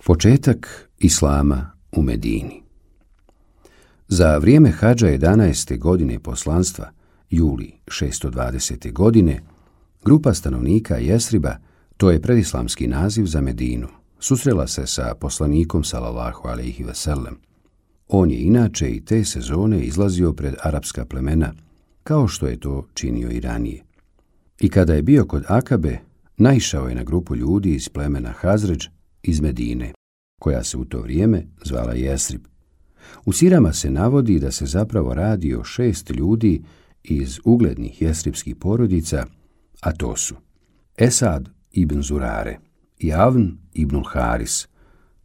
Početak islama u Medini. Za vrijeme hadža 11. godine poslanstva, juli 620. godine, grupa stanovnika Jesriba, to je predislamski naziv za Medinu, susrela se sa poslanikom sallallahu alejhi ve sellem. On je inače i te sezone izlazio pred arapska plemena, kao što je to činio i ranije. I kada je bio kod Akabe, naišao je na grupu ljudi iz plemena Hazredž iz Medine, koja se u to vrijeme zvala Jesrib. U sirama se navodi da se zapravo radi o 6 ljudi iz uglednih jesribskih porodica, a to su Esad ibn Zurare i Avn ibn Haris,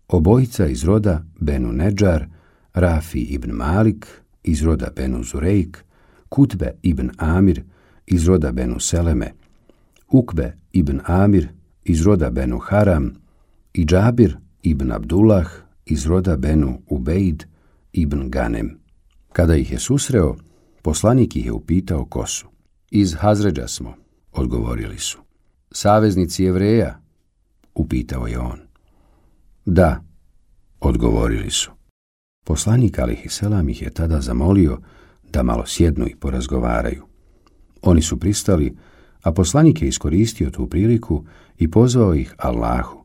obojica iz roda Benu Nedžar, Rafi ibn Malik iz roda Benu Zurejk, Kutbe ibn Amir iz roda Benu Seleme, Ukbe ibn Amir iz roda Benu Haram i Džabir ibn Abdullah iz roda Benu Ubejd ibn Ganem. Kada ih je susreo, poslanik ih je upitao ko su. Iz Hazredža smo, odgovorili su. Saveznici Jevreja, upitao je on. Da, odgovorili su. Poslanik alejhiselam ih je tada zamolio da malo sjednu i porazgovaraju. Oni su pristali, a poslanik je iskoristio tu priliku i pozvao ih Allahu,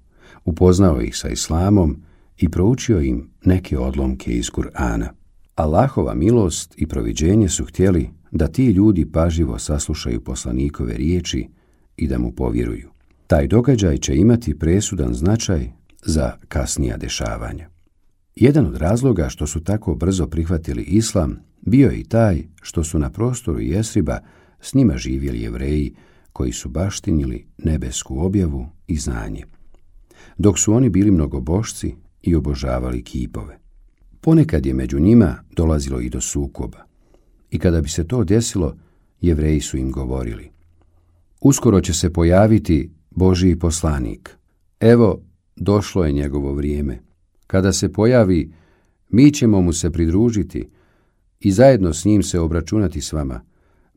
upoznao ih sa islamom i proučio im neke odlomke iz Kur'ana. Allahova milost i proviđenje su htjeli da ti ljudi pažljivo saslušaju poslanikove riječi i da mu povjeruju. Taj događaj će imati presudan značaj za kasnija dešavanja. Jedan od razloga što su tako brzo prihvatili islam bio je i taj što su na prostoru Jesriba s njima živjeli Jevreji koji su baštinili nebesku objavu i znanje, dok su oni bili mnogobošci i obožavali kipove. Ponekad je među njima dolazilo i do sukoba. I kada bi se to desilo, Jevreji su im govorili: uskoro će se pojaviti Božji poslanik. Evo, došlo je njegovo vrijeme. Kada se pojavi, mi ćemo mu se pridružiti i zajedno s njim se obračunati s vama,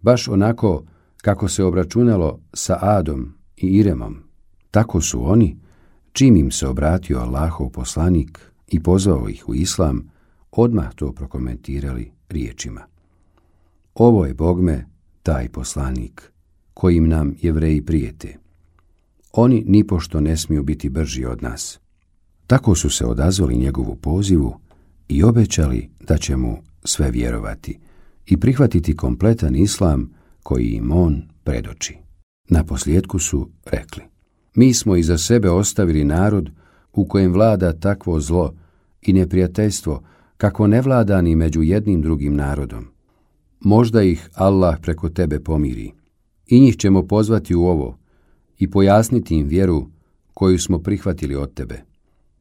baš onako kako se obračunalo sa Adom i Iremom. Tako su oni, čim im se obratio Allahov poslanik i pozvao ih u islam, odmah to prokomentirali riječima: ovo je bogme taj poslanik, kojim nam Jevreji prijete. Oni nipošto ne smiju biti brži od nas. Tako su se odazvali njegovu pozivu i obećali da će mu sve vjerovati i prihvatiti kompletan islam koji im on predoči. Naposljetku su rekli: mi smo iza sebe ostavili narod u kojem vlada takvo zlo i neprijateljstvo kako ne vlada ni među jednim drugim narodom. Možda ih Allah preko tebe pomiri. I njih ćemo pozvati u ovo i pojasniti im vjeru koju smo prihvatili od tebe.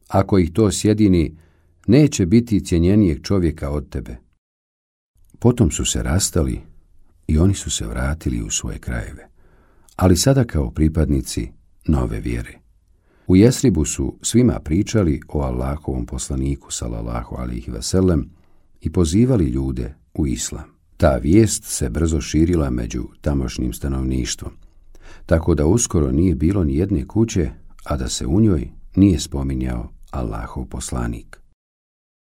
Ako ih to sjedini, neće biti cjenjenijeg čovjeka od tebe. Potom su se rastali i oni su se vratili u svoje krajeve, ali sada kao pripadnici nove vjere. U Jesribu su svima pričali o Allahovom poslaniku sallallahu alejhi ve sellem i pozivali ljude u islam. Ta vijest se brzo širila među tamošnjim stanovništvom, tako da uskoro nije bilo ni jedne kuće, a da se u njoj nije spominjao Allahov poslanik.